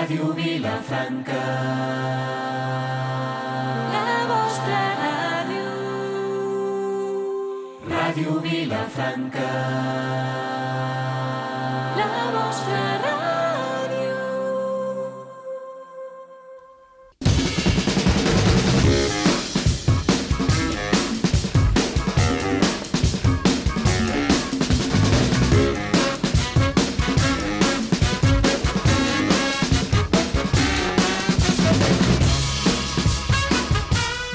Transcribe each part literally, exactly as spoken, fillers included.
Ràdio Vilafranca. La vostra ràdio. Ràdio Vilafranca. La vostra ràdio.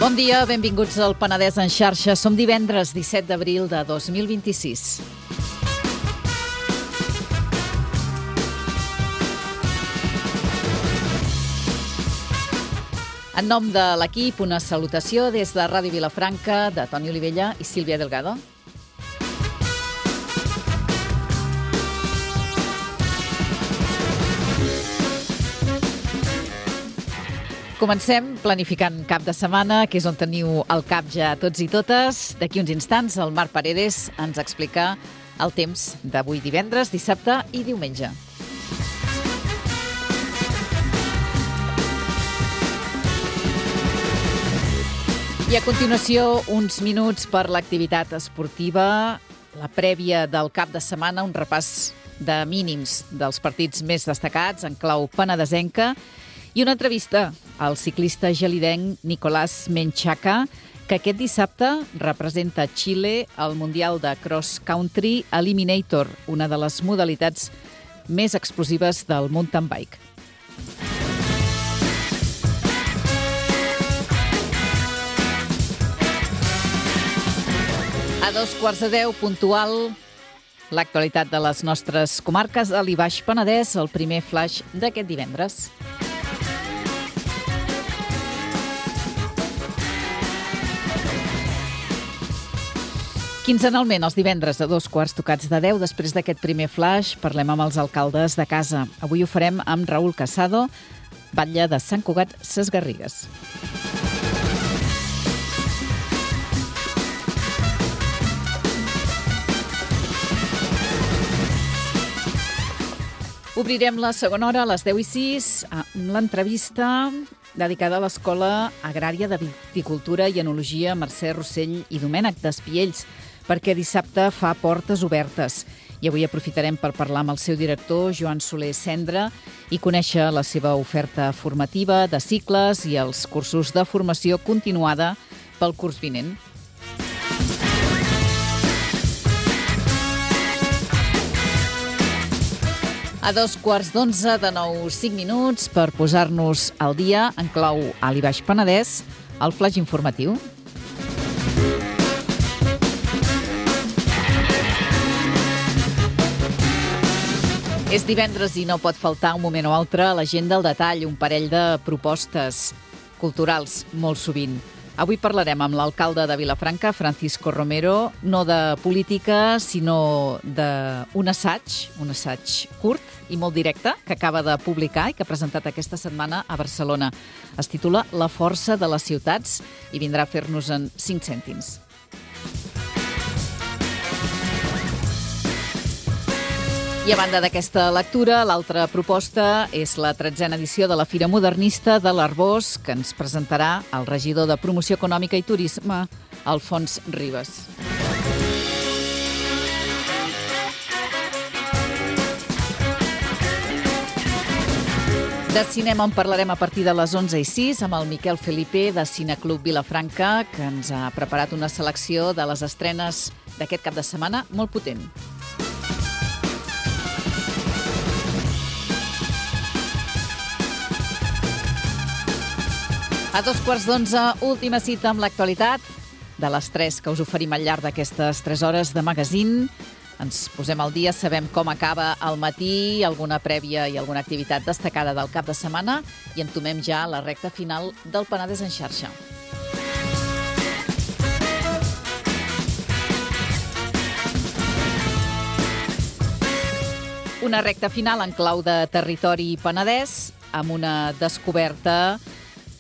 Bon dia, benvinguts al Penedès en xarxa. Som divendres disset d'abril de dos mil vint-i-sis. En nom de l'equip, una salutació des de Ràdio Vilafranca, de Toni Olivella i Sílvia Delgado. Comencem planificant cap de setmana, que és on teniu el cap ja tots i totes. D'aquí uns instants, el Marc Paredes ens explica el temps d'avui divendres, dissabte i diumenge. I a continuació, uns minuts per l'activitat esportiva, la prèvia del cap de setmana, un repàs de mínims dels partits més destacats en clau penedesenca, i una entrevista al ciclista gelidenc Nicolás Menchaca, que aquest dissabte representa Xile al Mundial de Cross Country Eliminator, una de les modalitats més explosives del mountain bike. A dos quarts de deu, puntual, l'actualitat de les nostres comarques a l'I Baix Penedès, el primer flash d'aquest divendres. Quinzenalment, els divendres a dos quarts tocats de deu, després d'aquest primer flash, parlem amb els alcaldes de casa. Avui ho farem amb Raül Casado, batlle de Sant Cugat Sesgarrigues. Obrirem la segona hora a les deu i sis amb l'entrevista dedicada a l'Escola Agrària de Viticultura i Enologia Mercè Rossell i Domènec d'Espiells, perquè dissabte fa portes obertes. I avui aprofitarem per parlar amb el seu director, Joan Soler Cendra, i conèixer la seva oferta formativa de cicles i els cursos de formació continuada pel curs vinent. A dos quarts d'onze, de nou, cinc minuts, per posar-nos al dia en clau a l'I Baix Penedès, el flash informatiu. És divendres i no pot faltar un moment o altre a l'agenda al detall, un parell de propostes culturals molt sovint. Avui parlarem amb l'alcalde de Vilafranca, Francisco Romero, no de política, sinó d'un assaig, un assaig curt i molt directe, que acaba de publicar i que ha presentat aquesta setmana a Barcelona. Es titula La força de les ciutats i vindrà a fer-nos en cinc cèntims. I a banda d'aquesta lectura, l'altra proposta és la tretzena edició de la Fira Modernista de l'Arbós, que ens presentarà el regidor de Promoció Econòmica i Turisme, Alfons Ribas. De cinema en parlarem a partir de les onze i sis amb el Miquel Felipe de Cineclub Vilafranca, que ens ha preparat una selecció de les estrenes d'aquest cap de setmana molt potent. A dos quarts d'onze, última cita amb l'actualitat de les tres que us oferim al llarg d'aquestes tres hores de magazine. Ens posem al dia, sabem com acaba el matí, alguna prèvia i alguna activitat destacada del cap de setmana i entomem ja la recta final del Penedès en xarxa. Una recta final en clau de territori penedès amb una descoberta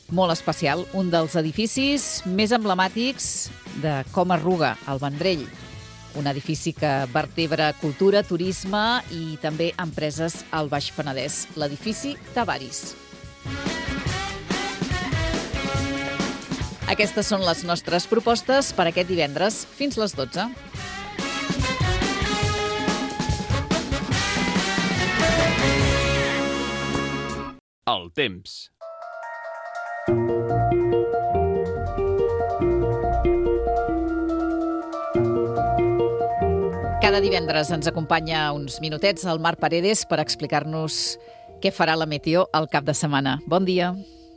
molt especial, un dels edificis més emblemàtics de com arruga el Vendrell. un edifici que vertebra cultura, turisme i també empreses al Baix Penedès, l'edifici Tavaris. Aquestes són les nostres propostes per aquest divendres fins les dotze. El temps. Cada divendres ens acompanya uns minutets el Marc Paredes per explicar-nos què farà la meteo al cap de setmana. Bon dia.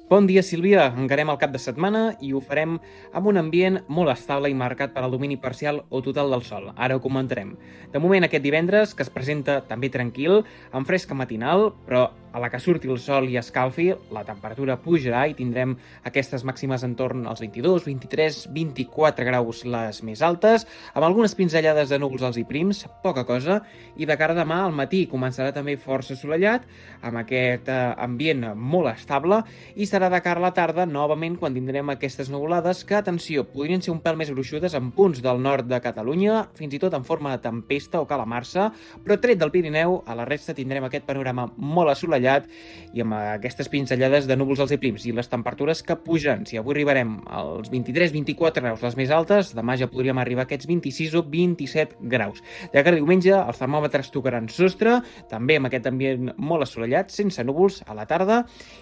Bon dia, Sílvia. Encarem el cap de setmana i ho farem amb un ambient molt estable i marcat per al domini parcial o total del sol. Ara ho comentarem. De moment, aquest divendres, que es presenta també tranquil, amb fresca matinal, però a la que surti el sol i escalfi, la temperatura pujarà i tindrem aquestes màximes entorn als vint-i-dos, vint-i-tres, vint-i-quatre graus les més altes, amb algunes pinzellades de núvols alts i prims, poca cosa, i de cara a demà al matí començarà també força assolellat, amb aquest eh, ambient molt estable, i serà de cara a la tarda, novament, quan tindrem aquestes nuvolades que, atenció, podrien ser un pèl més gruixudes en punts del nord de Catalunya, fins i tot en forma de tempesta o calamarsa, però tret del Pirineu, a la resta tindrem aquest panorama molt assolellat i amb aquestes pinzellades de núvols alts i prims i les temperatures que pugen. Si avui arribarem als vint-i-tres vint-i-quatre graus les més altes, demà ja podríem arribar a aquests vint-i-sis o vint-i-set graus. De cara a diumenge, els termòmetres tocaran sostre, també amb aquest ambient molt assolellat, sense núvols a la tarda,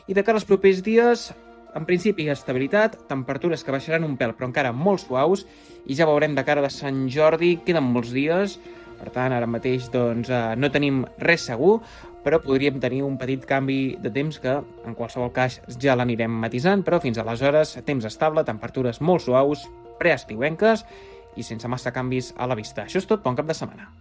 i de cara als propers dies, en principi, estabilitat, temperatures que baixaran un pèl, però encara molt suaus, i ja veurem de cara de Sant Jordi, queden molts dies, per tant, ara mateix doncs, eh, no tenim res segur, però podríem tenir un petit canvi de temps que, en qualsevol cas, ja l'anirem matisant, però fins aleshores, temps estable, temperatures molt suaus, preestiuenques i sense massa canvis a la vista. Això és tot, bon cap de setmana.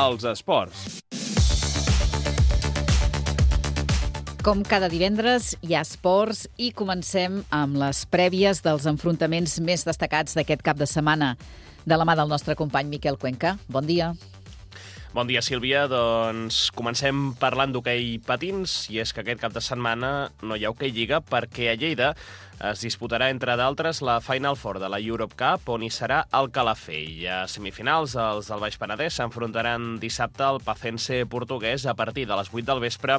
Els esports. Com cada divendres, hi ha esports i comencem amb les prèvies dels enfrontaments més destacats d'aquest cap de setmana, de la mà del nostre company Miquel Cuenca. Bon dia. Bon dia, Sílvia. Doncs comencem parlant d'hoquei patins, i és que aquest cap de setmana no hi ha hoquei lliga perquè a Lleida es disputarà, entre d'altres, la Final Four de la Europe Cup, on hi serà el Calafell. A semifinals, els del Baix Penedès s'enfrontaran dissabte al Pacense portuguès a partir de les vuit del vespre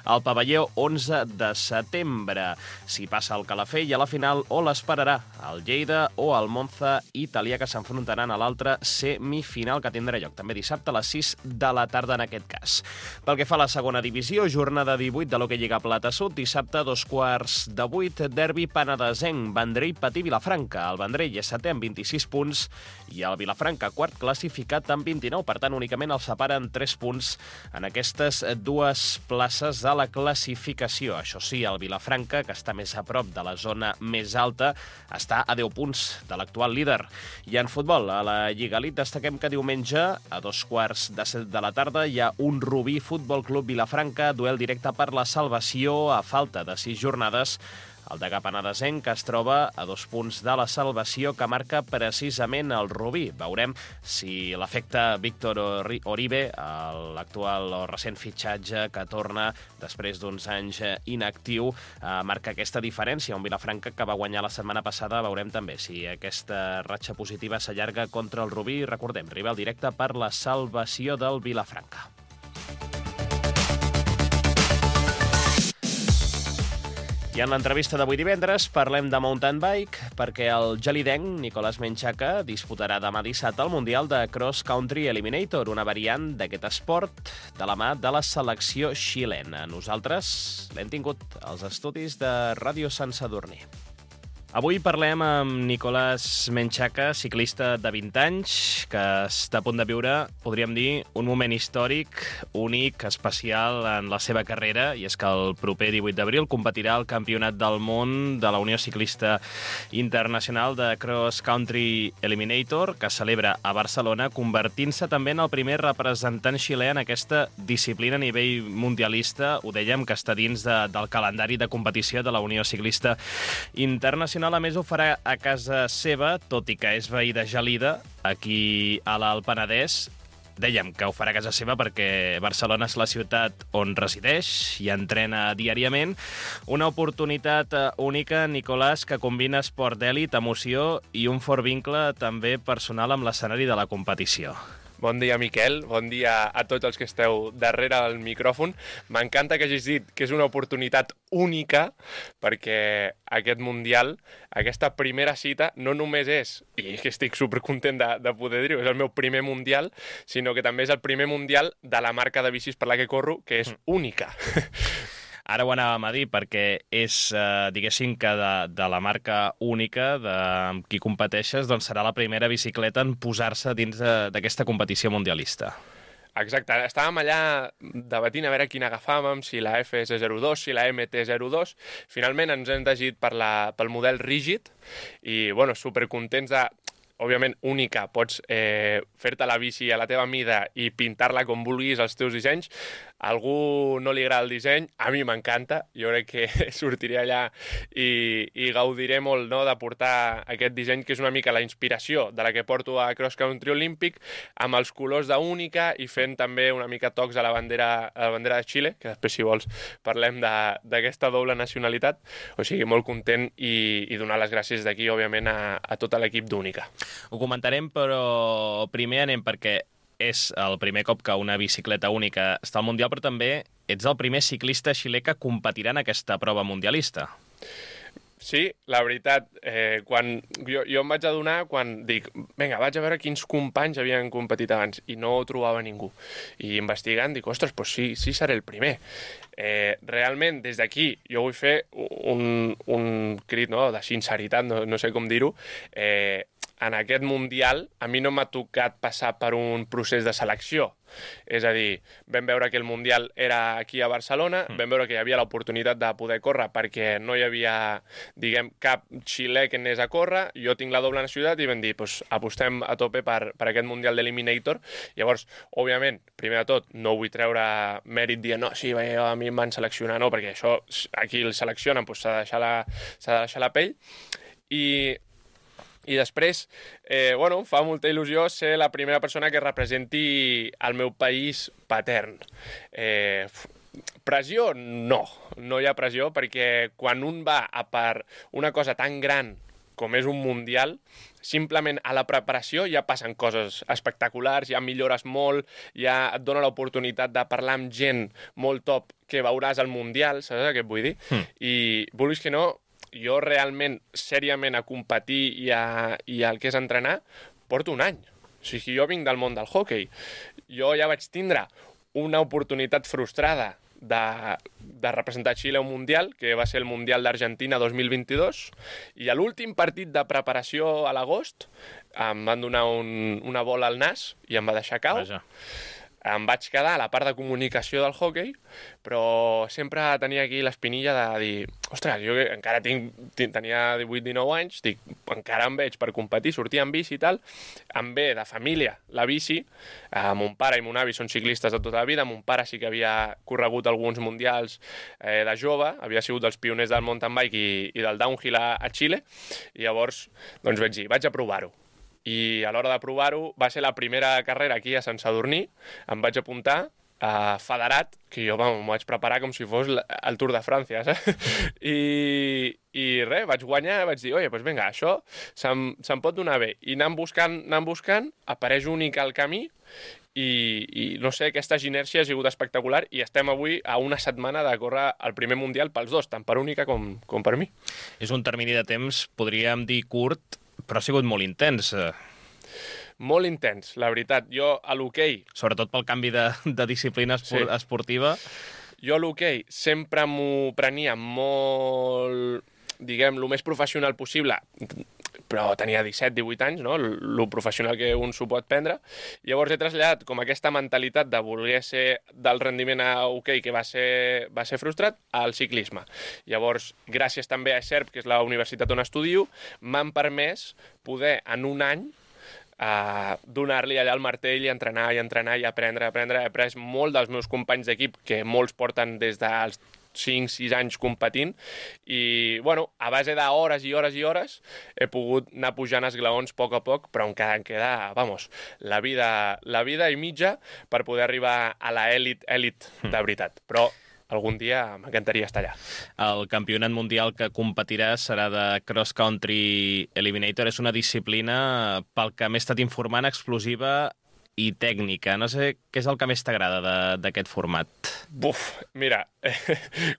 al pavelló onze de setembre. Si passa el Calafell a la final, o l'esperarà el Lleida o el Monza italià, que s'enfrontaran a l'altra semifinal, que tindrà lloc també dissabte a les sis de la tarda en aquest cas. Pel que fa a la segona divisió, jornada divuit de l'hoquei Lliga Plata Sud, dissabte a dos quarts de vuit, derbi penedesenc, Vendrell Patí Vilafranca. El Vendrell és setè amb vint-i-sis punts i el Vilafranca quart classificat amb vint-i-nou. Per tant, únicament els separen tres punts en aquestes dues places de la classificació. Això sí, el Vilafranca, que està més a prop de la zona més alta, està a deu punts de l'actual líder. I en futbol, a la Lliga Elite, destaquem que diumenge, a dos quarts de set de la tarda, hi ha un Rubí Futbol Club Vilafranca, duel directe per la salvació a falta de sis jornades. El Degà Penedesenc, que es troba a dos punts de la salvació, que marca precisament el Rubí. Veurem si l'efecte Víctor Oribe, l'actual o recent fitxatge que torna després d'uns anys inactiu, marca aquesta diferència. Un Vilafranca que va guanyar la setmana passada. Veurem també si aquesta ratxa positiva s'allarga contra el Rubí. Recordem, rival directe per la salvació del Vilafranca. I en l'entrevista d'avui divendres parlem de mountain bike perquè el gelidenc Nicolás Menchaca disputarà demà dissabte el Mundial de Cross Country Eliminator, una variant d'aquest esport de la mà de la selecció xilena. Nosaltres l'hem tingut als estudis de Ràdio Sant Sadurní. Avui parlem amb Nicolás Menchaca, ciclista de vint anys, que està a punt de viure, podríem dir, un moment històric, únic, especial en la seva carrera, i és que el proper divuit d'abril competirà al Campionat del Món de la Unió Ciclista Internacional de Cross Country Eliminator, que celebra a Barcelona, convertint-se també en el primer representant xilè en aquesta disciplina a nivell mundialista. Ho dèiem, que està dins de, del calendari de competició de la Unió Ciclista Internacional. A més, ho farà a casa seva, tot i que és veí de Gelida, aquí a l'Alt Penedès. Dèiem que ho farà a casa seva perquè Barcelona és la ciutat on resideix i entrena diàriament. Una oportunitat única, Nicolás, que combina esport d'èlit, emoció i un fort vincle també personal amb l'escenari de la competició. Bon dia, Miquel. Bon dia a tots els que esteu darrere del micròfon. M'encanta que hagis dit que és una oportunitat única, perquè aquest Mundial, aquesta primera cita, no només és, i que estic supercontent de, de poder dir-ho, és el meu primer Mundial, sinó que també és el primer Mundial de la marca de bicis per la que corro, que és única. Ara ho anàvem a dir, perquè és, eh, diguéssim, que de, de la marca única de amb qui competeixes, doncs serà la primera bicicleta en posar-se dins d'aquesta competició mundialista. Exacte, estàvem allà debatint a veure quina agafàvem, si la F S zero dos, si la M T zero dos. Finalment ens hem decidit per la, pel model rígid i, bueno, supercontents de... Òbviament, única, pots eh, fer-te la bici a la teva mida i pintar-la com vulguis els teus dissenys. A algú no li agrada el disseny, a mi m'encanta. Jo crec que sortiré allà i, i gaudiré molt, no?, de portar aquest disseny, que és una mica la inspiració de la que porto a Cross Country Olímpic, amb els colors d'única i fent també una mica tocs a la bandera, a la bandera de Xile, que després, si vols, parlem d'aquesta doble nacionalitat. O sigui, molt content i, i donar les gràcies d'aquí, òbviament, a, a tot l'equip d'Única. Ho comentarem, però primer anem perquè és el primer cop que una bicicleta única està al Mundial, però també ets el primer ciclista xilè que competirà en aquesta prova mundialista. Sí, la veritat, eh, quan jo, jo em vaig adonar quan dic, vinga, vaig a veure quins companys havien competit abans, i no trobava ningú. I investigant dic, ostres, doncs sí, sí seré el primer. Eh, realment, des d'aquí, jo vull fer un, un crit, no?, de sinceritat, no, no sé com dir-ho. Eh, en aquest Mundial a mi no m'ha tocat passar per un procés de selecció. És a dir, vam veure que el Mundial era aquí a Barcelona, mm. vam veure que hi havia l'oportunitat de poder córrer perquè no hi havia, diguem, cap xilè que anés a córrer. Jo tinc la doble nacionalitat i vam dir, doncs, apostem a tope per, per aquest Mundial d'Eliminator. Llavors, òbviament, primer de tot, no vull treure mèrit dient, no, sí, a mi em van seleccionar, no, perquè això, aquí el seleccionen, doncs s'ha de deixar la, s'ha de deixar la pell. I... I després, eh, bueno, fa molta il·lusió ser la primera persona que representi el meu país patern. Eh, pressió? No, no hi ha pressió, perquè quan un va a per una cosa tan gran com és un Mundial, simplement a la preparació ja passen coses espectaculars, ja millores molt, ja et dona l'oportunitat de parlar amb gent molt top que veuràs al Mundial, saps què et vull dir? Mm. I vulguis que no, jo realment, sèriament, a competir i, a, i al que és entrenar, porto un any. O sigui, jo vinc del món del hockey. Jo ja vaig tindre una oportunitat frustrada de, de representar Xile a un Mundial, que va ser el Mundial d'Argentina dos mil vint-i-dos, i a l'últim partit de preparació a l'agost em van donar un, una bola al nas i em va deixar cau. Vaja. Em vaig quedar a la part de comunicació del hockey, però sempre tenia aquí l'espinilla de dir, ostres, jo encara tinc, tenia divuit dinou anys, dic, encara em veig per competir, sortir amb bici i tal, em ve de família la bici, eh, mon pare i mon avi són ciclistes de tota la vida, mon pare sí que havia corregut alguns mundials eh, de jove, havia sigut dels pioners del mountain bike i, i del downhill a, a Xile, i llavors doncs vaig dir, vaig a provar-ho. I a l'hora de provar-ho va ser la primera carrera aquí a Sant Sadurní, em vaig apuntar a federat, que jo m'ho vaig preparar com si fos el Tour de França, saps? I, i res, vaig guanyar, vaig dir, oye, doncs vinga, això se'm, se'm pot donar bé. I anant buscant, anant buscant, apareix únic al camí, i, i no sé, aquesta inèrcia ha sigut espectacular i estem avui a una setmana de córrer el primer Mundial pels dos, tant per única com, com per mi. És un termini de temps, podríem dir curt, però ha sigut molt intens. Molt intens, la veritat. Jo a l'hoquei... Sobretot pel canvi de, de disciplina espor sí. esportiva. Jo a l'hoquei sempre m'ho prenia molt... diguem, el més professional possible, però tenia disset divuit anys, no? El professional que un s'ho pot prendre. Llavors he traslladat com aquesta mentalitat de voler ser del rendiment a hoquei que va ser, va ser frustrat al ciclisme. Llavors, gràcies també a SERP, que és la universitat on estudio, m'han permès poder en un any Uh, donar-li allà el martell i entrenar i entrenar i aprendre, aprendre. He après molt dels meus companys d'equip, que molts porten des dels cinc sis anys competint, i, bueno, a base d'hores i hores i hores he pogut anar pujant esglaons a poc a poc, però encara em queda, vamos, la vida, la vida i mitja per poder arribar a la elit, elit de veritat. Però algun dia m'encantaria estar allà. El campionat mundial que competiràs serà de Cross Country Eliminator. És una disciplina, pel que m'he estat informant, explosiva i tècnica. No sé què és el que més t'agrada d'aquest format. Buf, mira,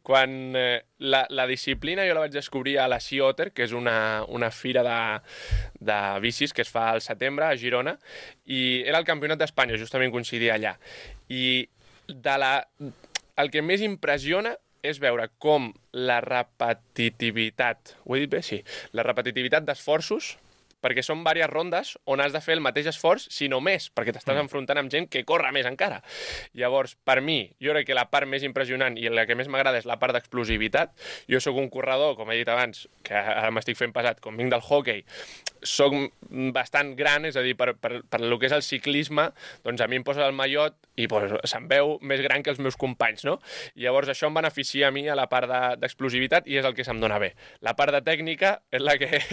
quan eh, la, la disciplina jo la vaig descobrir a la Sea Otter, que és una, una fira de, de bicis que es fa al setembre a Girona, i era el campionat d'Espanya, justament coincidia allà. I de la... el que més impressiona és veure com la repetitivitat, ho he dit bé? Sí, la repetitivitat d'esforços, perquè són diverses rondes on has de fer el mateix esforç, si no més, perquè t'estàs enfrontant amb gent que corre més encara. Llavors, per mi, jo crec que la part més impressionant i la que més m'agrada és la part d'explosivitat. Jo sóc un corredor, com he dit abans, que ara m'estic fent pesat, com vinc del hockey, soc bastant gran, és a dir, per, per, per el que és el ciclisme, doncs a mi em posa el mallot i pues, se'm veu més gran que els meus companys, no? Llavors això em beneficia a mi a la part d'explosivitat i és el que se'm dona bé. La part de tècnica és la que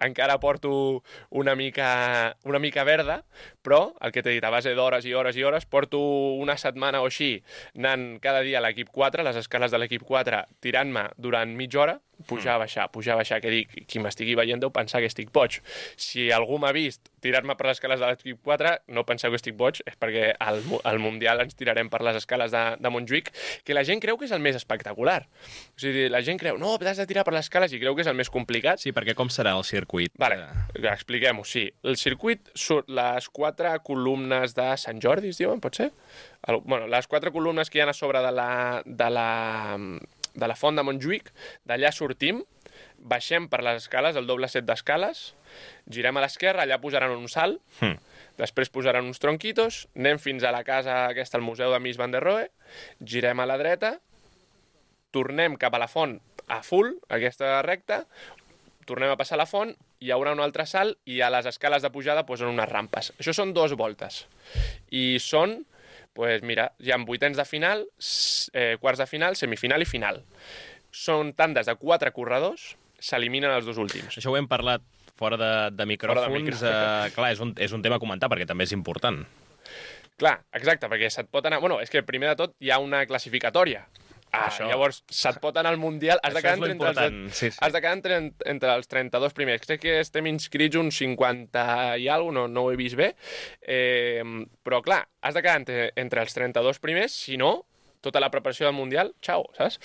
encara porto una mica, una mica verda, però el que t'he dit, a base d'hores i hores i hores, porto una setmana o així anant cada dia a l'equip quatre, les escales de l'equip quatre, tirant-me durant mitja hora, pujar, baixar, pujar, baixar, que dic, qui m'estigui veient deu pensar que estic boig. Si algú m'ha vist tirar-me per les escales de l'equip quatre, no penseu que estic boig, és perquè al, al Mundial ens tirarem per les escales de, de Montjuïc, que la gent creu que és el més espectacular. O sigui, la gent creu, no, t'has de tirar per les escales, i creu que és el més complicat. Sí, perquè com serà el circuit? Vale, expliquem-ho, sí. El circuit surt les quatre columnes de Sant Jordi, es diuen, pot ser? El, bueno, les quatre columnes que hi ha a sobre de la... De la de la font de Montjuïc, d'allà sortim, baixem per les escales, el doble set d'escales, girem a l'esquerra, allà posaran un salt, mm. després posaran uns tronquitos, anem fins a la casa aquesta, al Museu de Mies van der Rohe, girem a la dreta, tornem cap a la font a full, aquesta recta, tornem a passar la font, hi haurà un altre salt i a les escales de pujada posen unes rampes. Això són dues voltes. I són... Pues mira, hi ha vuitens de final, eh, quarts de final, semifinal i final. Són tandes de quatre corredors, s'eliminen els dos últims. Això ho hem parlat fora de, de micròfons. De micròfons. Eh, clar, és un, és un tema a comentar, perquè també és important. Clar, exacte, perquè se't pot anar... Bueno, és que primer de tot hi ha una classificatòria. Ah, això. Llavors, se't pot anar al Mundial, has de quedar, entre, entre, els, sí, sí. Has de quedar entre, entre els trenta-dos primers. Crec que estem inscrits uns cinquanta i alguna cosa, no, no ho he vist bé, eh, però clar, has de quedar entre, entre els trenta-dos primers, si no, tota la preparació del Mundial, xau, saps?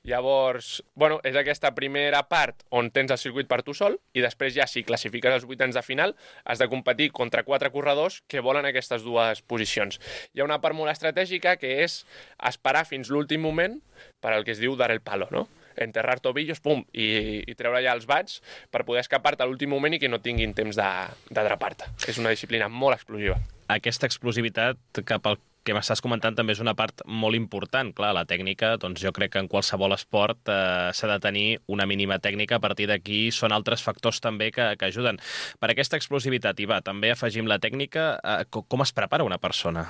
Llavors, bueno, és aquesta primera part on tens el circuit per tu sol i després ja, si classifiques els vuitens de final, has de competir contra quatre corredors que volen aquestes dues posicions. Hi ha una part molt estratègica que és esperar fins l'últim moment per al que es diu dar el palo, no? Enterrar tobillos, pum, i, i treure ja els bats per poder escapar-te a l'últim moment i que no tinguin temps d'atrapar-te. És una disciplina molt explosiva. Aquesta explosivitat cap al que m'estàs comentant també és una part molt important. Clar, la tècnica, doncs jo crec que en qualsevol esport eh, s'ha de tenir una mínima tècnica. A partir d'aquí són altres factors també que, que ajuden. Per aquesta explosivitat, i va, també afegim la tècnica. Eh, com es prepara una persona?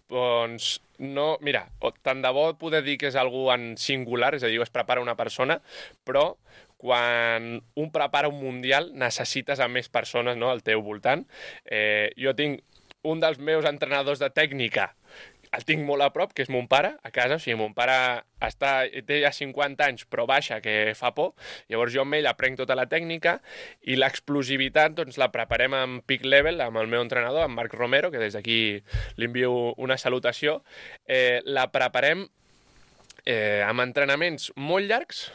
Doncs no, mira, tant de bo poder dir que és algú en singular, és a dir, es prepara una persona, però quan un prepara un mundial necessites a més persones, no?, al teu voltant. Eh, jo tinc un dels meus entrenadors de tècnica, el tinc molt a prop, que és mon pare, a casa. O sigui, mon pare està, té ja cinquanta anys, però baixa, que fa por. Llavors jo amb ell aprenc tota la tècnica i l'explosivitat doncs, la preparem en peak level amb el meu entrenador, en Marc Romero, que des d'aquí li envio una salutació. Eh, la preparem eh, amb entrenaments molt llargs,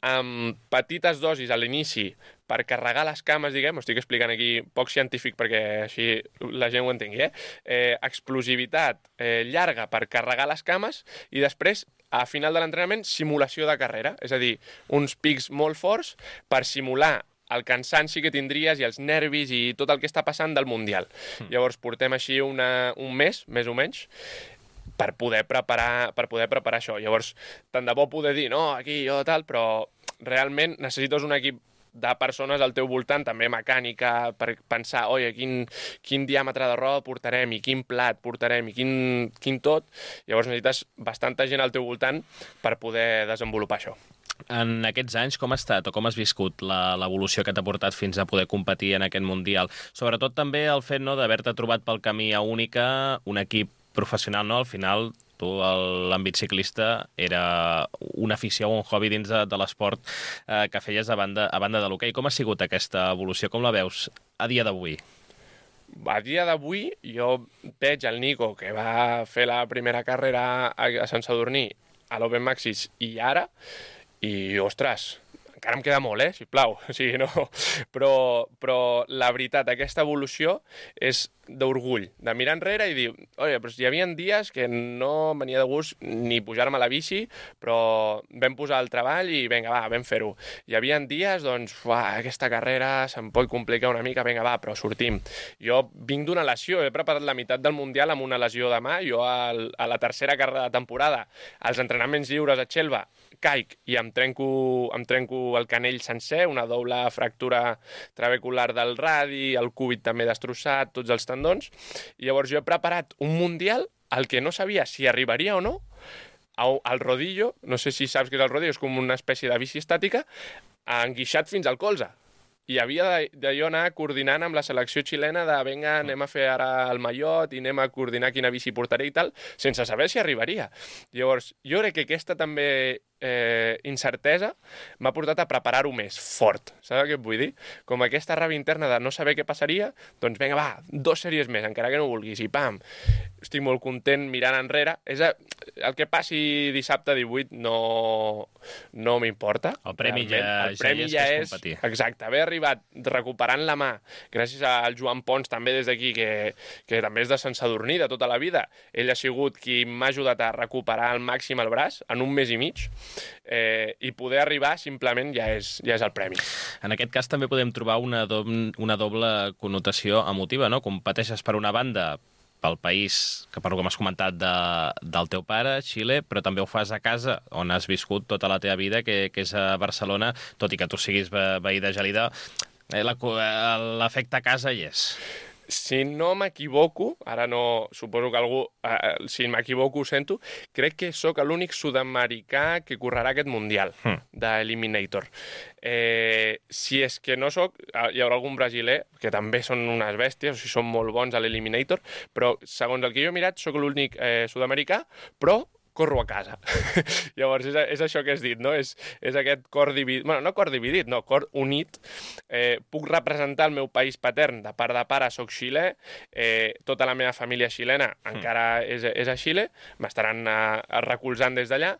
amb petites dosis a l'inici per carregar les cames, diguem, ho estic explicant aquí poc científic perquè així la gent ho entengui, eh? eh explosivitat eh, llarga per carregar les cames i després, a final de l'entrenament, simulació de carrera, és a dir, uns pics molt forts per simular el cansanci que tindries i els nervis i tot el que està passant del Mundial. Mm. Llavors portem així una, un mes, més o menys, per poder preparar, per poder preparar això. Llavors, tant de bo poder dir, no, aquí jo tal, però realment necessites un equip de persones al teu voltant, també mecànica, per pensar, oi, quin, quin diàmetre de roda portarem i quin plat portarem i quin, quin tot. Llavors necessites bastanta gent al teu voltant per poder desenvolupar això. En aquests anys, com ha estat o com has viscut l'evolució que t'ha portat fins a poder competir en aquest Mundial? Sobretot també el fet, no, d'haver-te trobat pel camí a Única, un equip professional, no? Al final, tu, l'àmbit ciclista, era una afició o un hobby dins de, de l'esport eh, que feies a banda, a banda de l'hoquei. Com ha sigut aquesta evolució? Com la veus a dia d'avui? A dia d'avui jo veig el Nico, que va fer la primera carrera a, a Sant Sadurní, a l'Open Maxis, i ara, i, ostres, encara em queda molt, eh, sisplau. O sigui, no... Però, però la veritat, aquesta evolució és d'orgull, de mirar enrere i dir, oi, però hi havia dies que no em venia de gust ni pujar-me a la bici, però vam posar el treball i vinga, va, vam fer-ho. Hi havia dies, doncs, uah, aquesta carrera se'm pot complicar una mica, vinga, va, però sortim. Jo vinc d'una lesió, he preparat la meitat del Mundial amb una lesió de mà, jo al, a la tercera carrera de temporada, als entrenaments lliures a Xelva, caic i em trenco, em trenco el canell sencer, una doble fractura trabecular del radi, el cúbit també destrossat, tots els tendons. I llavors jo he preparat un Mundial al que no sabia si arribaria o no, al rodillo, no sé si saps què és el rodillo, és com una espècie de bici estàtica, enguixat fins al colze. I havia de, de jo anar coordinant amb la selecció xilena de vinga, anem a fer ara el mallot i anem a coordinar quina bici portaré i tal, sense saber si arribaria. Llavors, jo crec que aquesta també eh, incertesa m'ha portat a preparar-ho més fort. Saps què et vull dir? Com aquesta ràbia interna de no saber què passaria, doncs vinga, va, dos sèries més, encara que no vulguis, i pam! Estic molt content mirant enrere. És a, el que passi dissabte divuit no, no m'importa. El premi ja, el premi ja, ja és, competir. Exacte, haver arribat recuperant la mà, gràcies al Joan Pons també des d'aquí, que, que també és de Sant Sadurní de tota la vida. Ell ha sigut qui m'ha ajudat a recuperar al màxim el braç en un mes i mig, eh, i poder arribar simplement ja és, ja és el premi. En aquest cas també podem trobar una, do una doble connotació emotiva, no? Competeixes per una banda pel país, que per lo que m'has comentat de, del teu pare, Xile, però també ho fas a casa, on has viscut tota la teva vida, que, que és a Barcelona, tot i que tu siguis ve veí de Gelida, eh, l'efecte a casa hi és. Si no m'equivoco, ara no, suposo que algú, eh, si m'equivoco ho sento, crec que sóc l'únic sud-americà que correrà aquest Mundial hmm. d'Eliminator. Eh, si és que no sóc, hi haurà algun brasiler, que també són unes bèsties, o sigui, són molt bons a l'Eliminator, però segons el que jo he mirat, sóc l'únic eh, sud-americà, però corro a casa. Llavors, és, és això que has dit, no? És, és aquest cor dividit, bueno, no cor dividit, no, cor unit. Eh, puc representar el meu país patern, de part de pare soc xilè, eh, tota la meva família xilena mm. encara és, és a Xile, m'estaran recolzant des d'allà,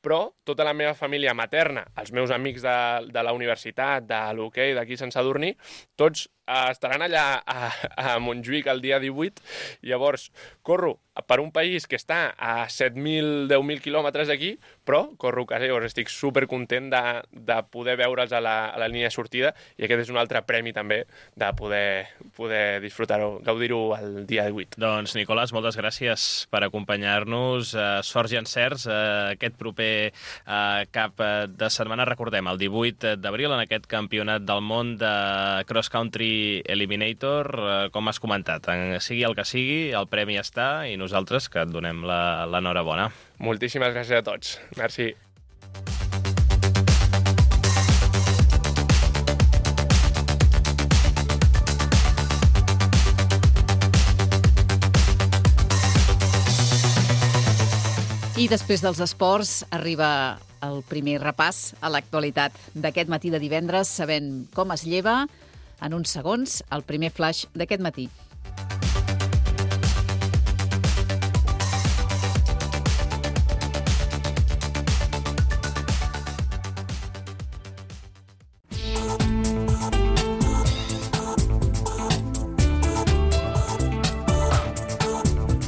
però tota la meva família materna, els meus amics de, de la universitat, de l'hoquei, d'aquí Sant Sadurní, tots estaran allà a, a Montjuïc el dia divuit, llavors corro per un país que està a set mil, deu mil quilòmetres d'aquí, però corro a casa, llavors estic supercontent de, de poder veure'ls a la, a la línia de sortida, i aquest és un altre premi també de poder, poder disfrutar-ho, gaudir-ho el dia divuit. Doncs, Nicolás, moltes gràcies per acompanyar-nos. Uh, sorts i encerts uh, aquest proper uh, cap de setmana. Recordem, el divuit d'abril, en aquest campionat del món de cross country Eliminator, com has comentat, sigui el que sigui, el premi està i nosaltres que et donem l'enhorabona. Moltíssimes gràcies a tots. Merci. I després dels esports arriba el primer repàs a l'actualitat d'aquest matí de divendres, sabent com es lleva. En uns segons, el primer flash d'aquest matí.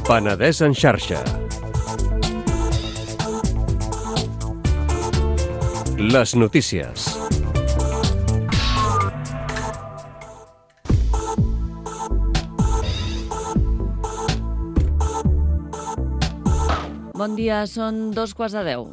Penedès en xarxa. Les notícies. Bon dia, són dos quarts de deu.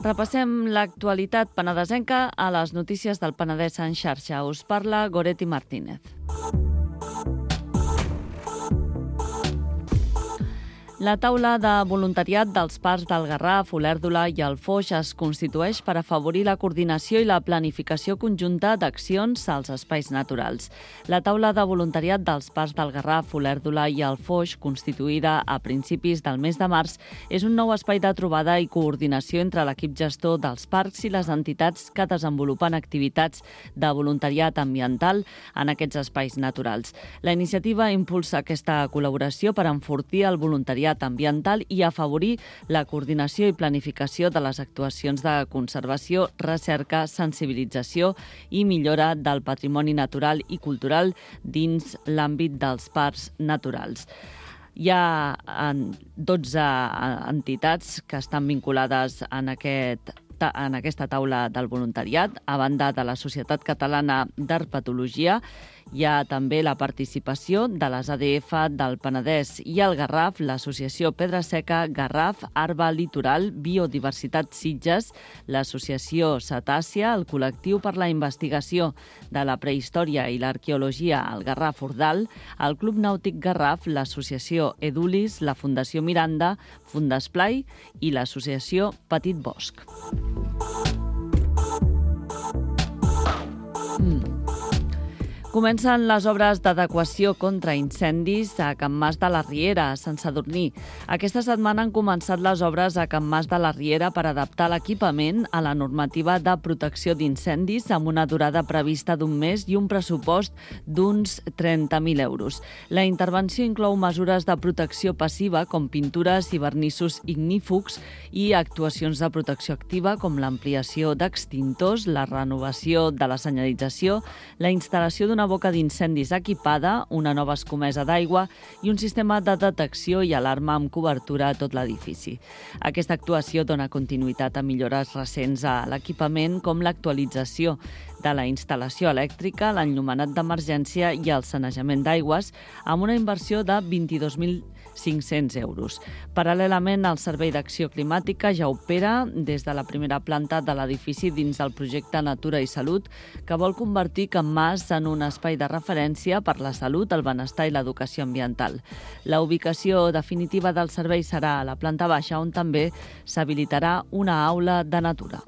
Repassem l'actualitat penedesenca a les notícies del Penedès en xarxa. Us parla Goretti Martínez. La taula de voluntariat dels parcs del Garraf, Olèrdola i el Foix es constitueix per afavorir la coordinació i la planificació conjunta d'accions als espais naturals. La taula de voluntariat dels parcs del Garraf, Olèrdola i el Foix, constituïda a principis del mes de març, és un nou espai de trobada i coordinació entre l'equip gestor dels parcs i les entitats que desenvolupen activitats de voluntariat ambiental en aquests espais naturals. La iniciativa impulsa aquesta col·laboració per enfortir el voluntariat ambiental i afavorir la coordinació i planificació de les actuacions de conservació, recerca, sensibilització i millora del patrimoni natural i cultural dins l'àmbit dels parcs naturals. Hi ha dotze entitats que estan vinculades en aquest en aquesta taula del voluntariat. A banda de la Societat Catalana d'Herpetologia, hi ha també la participació de les A D F del Penedès i el Garraf, l'Associació Pedra Seca, Garraf, Arba Litoral, Biodiversitat Sitges, l'Associació Cetàcia, el Col·lectiu per la Investigació de la Prehistòria i l'Arqueologia al Garraf Ordal, el Club Nàutic Garraf, l'Associació Edulis, la Fundació Miranda, Fundesplai i l'Associació Petit Bosc. Mm. Comencen les obres d'adequació contra incendis a Can Mas de la Riera, a Sant Sadurní. Aquesta setmana han començat les obres a Can Mas de la Riera per adaptar l'equipament a la normativa de protecció d'incendis amb una durada prevista d'un mes i un pressupost d'uns trenta mil euros. La intervenció inclou mesures de protecció passiva com pintures i vernissos ignífugs i actuacions de protecció activa com l'ampliació d'extintors, la renovació de la senyalització, la instal·lació d'una boca d'incendis equipada, una nova escomesa d'aigua i un sistema de detecció i alarma amb cobertura a tot l'edifici. Aquesta actuació dona continuïtat a millores recents a l'equipament com l'actualització de la instal·lació elèctrica, l'enllumenat d'emergència i el sanejament d'aigües amb una inversió de vint-i-dos mil cinc-cents euros. Paral·lelament, el Servei d'Acció Climàtica ja opera des de la primera planta de l'edifici dins del projecte Natura i Salut, que vol convertir Can Mas en un espai de referència per la salut, el benestar i l'educació ambiental. La ubicació definitiva del servei serà a la planta baixa, on també s'habilitarà una aula de natura.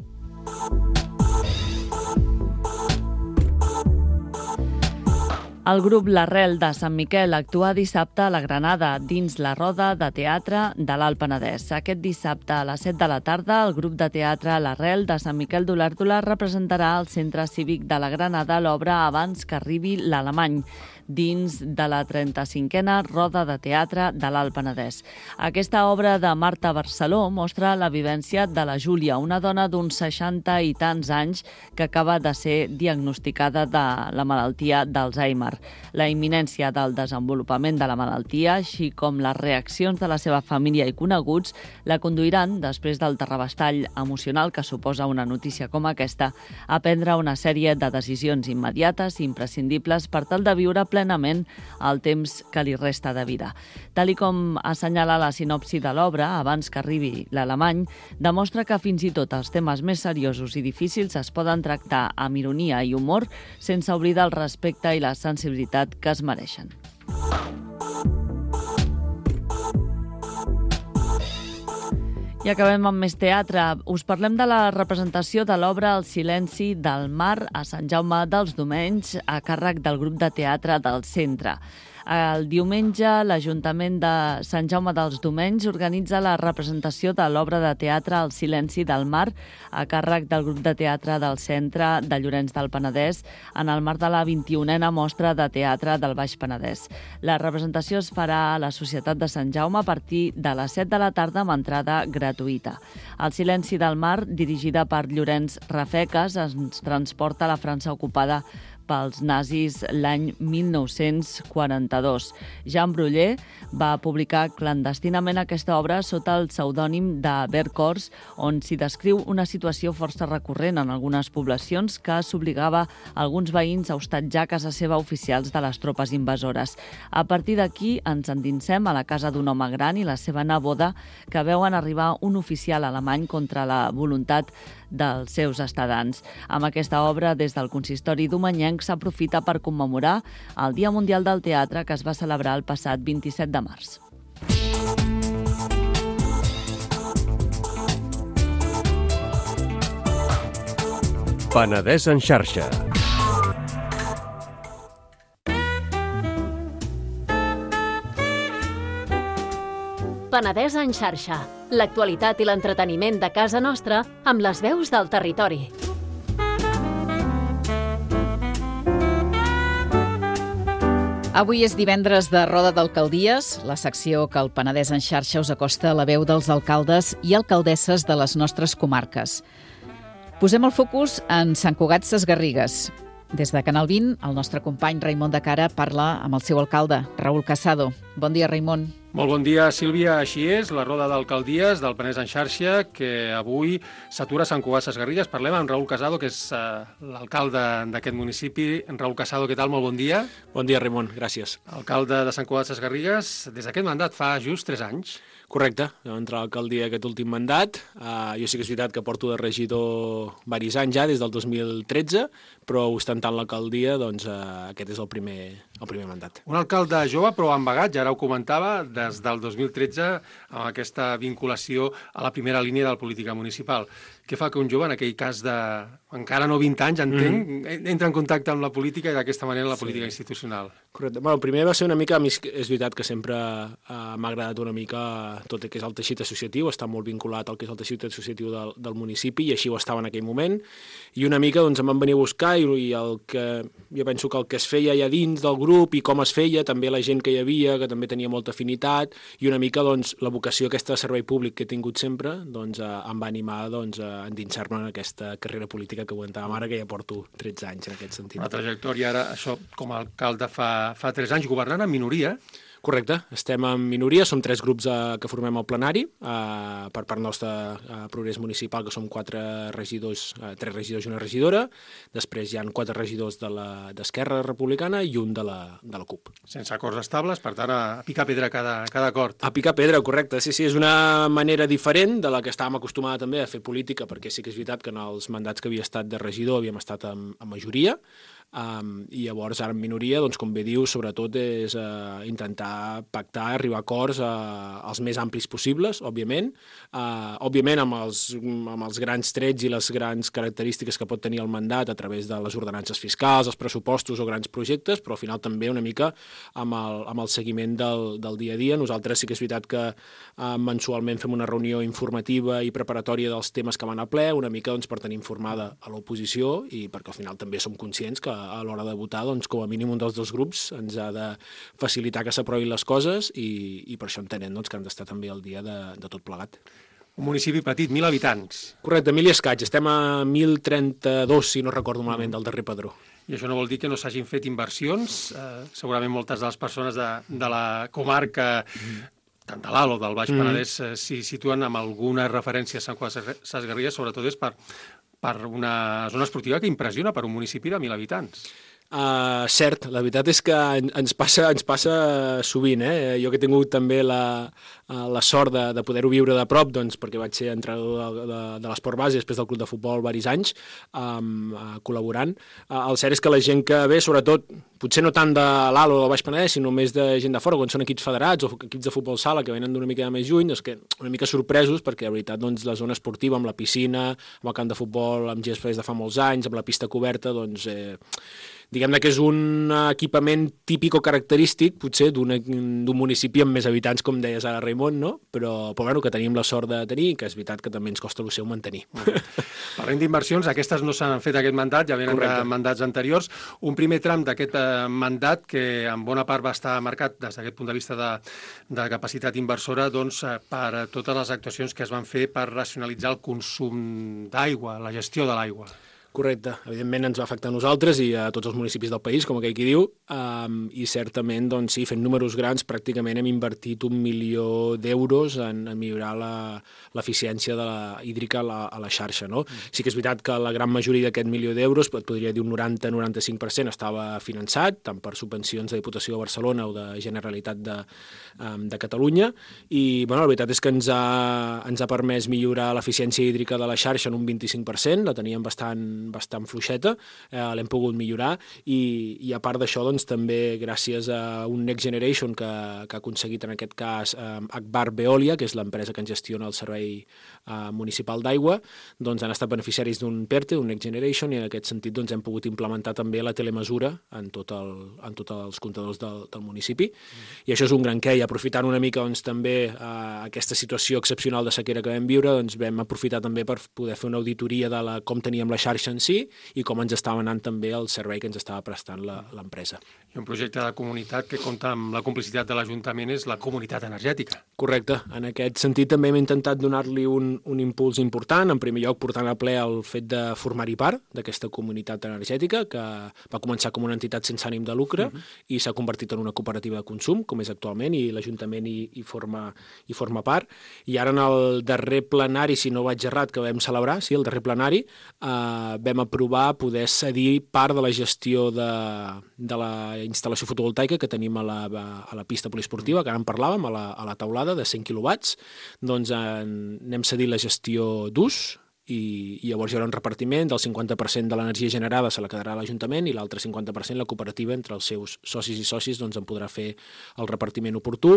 El grup L'Arrel de Sant Miquel actua dissabte a la Granada dins la roda de teatre de l'Alt Penedès. Aquest dissabte a les set de la tarda el grup de teatre L'Arrel de Sant Miquel d'Olèrdola representarà al Centre Cívic de la Granada l'obra Abans que arribi l'alemany, dins de la trenta-cinquena Roda de Teatre de l'Alt Penedès. Aquesta obra de Marta Barceló mostra la vivència de la Júlia, una dona d'uns seixanta i tants anys que acaba de ser diagnosticada de la malaltia d'Alzheimer. La imminència del desenvolupament de la malaltia, així com les reaccions de la seva família i coneguts, la conduiran, després del terrabastall emocional que suposa una notícia com aquesta, a prendre una sèrie de decisions immediates i imprescindibles per tal de viure plenament el temps que li resta de vida. Tal i com assenyala la sinopsi de l'obra, Abans que arribi l'alemany, demostra que fins i tot els temes més seriosos i difícils es poden tractar amb ironia i humor sense oblidar el respecte i la sensibilitat que es mereixen. I acabem amb més teatre. Us parlem de la representació de l'obra El silenci del mar a Sant Jaume dels Domenys a càrrec del grup de teatre del centre. El diumenge, l'Ajuntament de Sant Jaume dels Domenys organitza la representació de l'obra de teatre El silenci del mar a càrrec del grup de teatre del Centre de Llorenç del Penedès en el marc de la vint-i-unena mostra de teatre del Baix Penedès. La representació es farà a la Societat de Sant Jaume a partir de les set de la tarda amb entrada gratuïta. El silenci del mar, dirigida per Llorenç Rafeques, ens transporta a la França ocupada pels nazis l'any mil nou-cents quaranta-dos. Jean Bruller va publicar clandestinament aquesta obra sota el pseudònim de Vercors, on s'hi descriu una situació força recurrent en algunes poblacions que s'obligava alguns veïns a hostatjar a casa seva oficials de les tropes invasores. A partir d'aquí ens endinsem a la casa d'un home gran i la seva neboda que veuen arribar un oficial alemany contra la voluntat dels seus estadants. Amb aquesta obra, des del consistori domenyenc s'aprofita per commemorar el Dia Mundial del Teatre que es va celebrar el passat vint-i-set de març. Penedès en xarxa. Penedès en xarxa. L'actualitat i l'entreteniment de casa nostra amb les veus del territori. Avui és divendres de Roda d'Alcaldies, la secció que el Penedès en xarxa us acosta a la veu dels alcaldes i alcaldesses de les nostres comarques. Posem el focus en Sant Cugat Sesgarrigues. Des de Canal vint, el nostre company Raimon de Cara parla amb el seu alcalde, Raül Casado. Bon dia, Raimon. Molt bon dia, Sílvia. Així és, la roda d'alcaldies del Penedès en xarxa, que avui s'atura a Sant Cugat Sesgarrigues. Parlem amb Raül Casado, que és uh, l'alcalde d'aquest municipi. Raül Casado, què tal? Molt bon dia. Bon dia, Raimon. Gràcies. Alcalde de Sant Cugat Sesgarrigues, des d'aquest mandat fa just tres anys. Correcte. Vam entrar a l'alcaldia aquest últim mandat. Uh, jo sí que és veritat que porto de regidor diversos anys ja, des del dos mil tretze, però ostentant l'alcaldia, doncs uh, aquest és el primer, el primer mandat. Un alcalde jove, però amb bagatge, ara ho comentava, des del dos mil tretze, amb aquesta vinculació a la primera línia de la política municipal. Què fa que un jove, en aquell cas de encara no vint anys, entenc, mm. entra en contacte amb la política i d'aquesta manera la política sí. institucional? Correcte. Bueno, primer va ser una mica, a mi és veritat que sempre uh, m'ha agradat una mica tot el que és el teixit associatiu, està molt vinculat al que és el teixit associatiu del, del municipi i així ho estava en aquell moment. I una mica doncs, em van venir a buscar i, i el que, jo penso que el que es feia allà dins del grup i com es feia, també la gent que hi havia, que també tenia molta afinitat i una mica doncs, la vocació aquesta de servei públic que he tingut sempre doncs, uh, em va animar doncs, a endinsar-me en aquesta carrera política que comentàvem ara, que ja porto tretze anys en aquest sentit. La trajectòria ara, això com a alcalde fa, fa tres anys, governant en minoria. Correcte, estem en minoria, som tres grups eh, que formem el plenari, eh, per part nostra eh, Progrés Municipal, que som quatre regidors, eh, tres regidors i una regidora, després hi ha quatre regidors de d'Esquerra Republicana i un de la, de la C U P. Sense acords estables, per tant, a picar pedra cada, cada acord. A picar pedra, correcte, sí, sí, és una manera diferent de la que estàvem acostumada també a fer política, perquè sí que és veritat que en els mandats que havia estat de regidor havíem estat en, en majoria, Um, i llavors ara en minoria, doncs com bé dius, sobretot és uh, intentar pactar, arribar a acords uh, els més amplis possibles, òbviament, uh, òbviament amb els, amb els grans trets i les grans característiques que pot tenir el mandat a través de les ordenances fiscals, els pressupostos o grans projectes, però al final també una mica amb el, amb el seguiment del, del dia a dia. Nosaltres sí que és veritat que uh, mensualment fem una reunió informativa i preparatòria dels temes que van a ple, una mica doncs, per tenir informada a l'oposició i perquè al final també som conscients que a l'hora de votar, doncs, com a mínim un dels dos grups ens ha de facilitar que s'aprovin les coses i, i per això entenem doncs, que han d'estar també al dia de, de tot plegat. Un municipi petit, mil habitants. Correcte, mil i escaig. Estem a mil trenta-dos, si no recordo malament, del darrer padró. I això no vol dir que no s'hagin fet inversions. Eh, segurament moltes de les persones de, de la comarca, tant de l'Alt o del Baix Penedès, mm. eh, s'hi situen amb alguna referència a Sant Cugat Sesgarrigues, sobretot és per per una zona esportiva que impressiona per un municipi de mil habitants. Uh, cert, la veritat és que ens passa, ens passa sovint. Eh? Jo que he tingut també la, la sort de, de poder-ho viure de prop, doncs, perquè vaig ser entrenador de, de, de l'esport base després del club de futbol diversos anys, um, uh, col·laborant. Uh, el cert és que la gent que ve, sobretot, potser no tant de l'Alt o del Baix Penedès, sinó més de gent de fora, quan són equips federats o equips de futbol sala que venen d'una mica més lluny, doncs que una mica sorpresos, perquè la veritat doncs, la zona esportiva, amb la piscina, amb el camp de futbol, amb gespa des de fa molts anys, amb la pista coberta, doncs... Eh, diguem-ne que és un equipament típic o característic, potser, d'un municipi amb més habitants, com deies ara, Raimon, no? Però, però bueno, que tenim la sort de tenir, que és veritat que també ens costa el seu mantenir. Parlem d'inversions, aquestes no s'han fet aquest mandat, ja venen de mandats anteriors. Un primer tram d'aquest mandat, que en bona part va estar marcat des d'aquest punt de vista de, de capacitat inversora, doncs, per totes les actuacions que es van fer per racionalitzar el consum d'aigua, la gestió de l'aigua. Correcte. Evidentment ens va afectar a nosaltres i a tots els municipis del país, com aquell qui diu, um, i certament, doncs sí, fent números grans, pràcticament hem invertit un milió d'euros en, en millorar l'eficiència de la hídrica a la, a la xarxa, no? Mm. Sí que és veritat que la gran majoria d'aquest milió d'euros, et podria dir un noranta a noranta-cinc per cent, estava finançat, tant per subvencions de Diputació de Barcelona o de Generalitat de, um, de Catalunya, i bueno, la veritat és que ens ha, ens ha permès millorar l'eficiència hídrica de la xarxa en un vint-i-cinc per cent, la teníem bastant bastant fluixeta, eh, l'hem pogut millorar i, i a part d'això doncs, també gràcies a un Next Generation que, que ha aconseguit en aquest cas eh, Akbar Veolia, que és l'empresa que ens gestiona el servei eh, municipal d'aigua, doncs han estat beneficiaris d'un PERTE, un Next Generation, i en aquest sentit doncs, hem pogut implementar també la telemesura en, tot el, en tots els comptadors del, del municipi. Mm. I això és un gran què, i aprofitant una mica doncs, també eh, aquesta situació excepcional de sequera que vam viure, doncs, vam aprofitar també per poder fer una auditoria de la, com teníem la xarxa en sí i com ens estava anant també el servei que ens estava prestant l'empresa. I un projecte de comunitat que compta amb la complicitat de l'Ajuntament és la comunitat energètica. Correcte. En aquest sentit també hem intentat donar-li un, un impuls important, en primer lloc portant a ple el fet de formar-hi part d'aquesta comunitat energètica, que va començar com una entitat sense ànim de lucre uh -huh. i s'ha convertit en una cooperativa de consum, com és actualment, i l'Ajuntament hi, hi, forma, hi forma part. I ara en el darrer plenari, si no vaig errat, que vam celebrar, sí, el darrer plenari, eh, vam aprovar poder cedir part de la gestió de, de la instal·lació fotovoltaica que tenim a la, a la pista poliesportiva, que ara en parlàvem, a la, a la taulada de cent quilowatts, doncs en, n'hem cedit la gestió d'ús, i, i llavors hi haurà un repartiment del cinquanta per cent de l'energia generada se la quedarà a l'Ajuntament i l'altre cinquanta per cent la cooperativa entre els seus socis i socis doncs, en podrà fer el repartiment oportú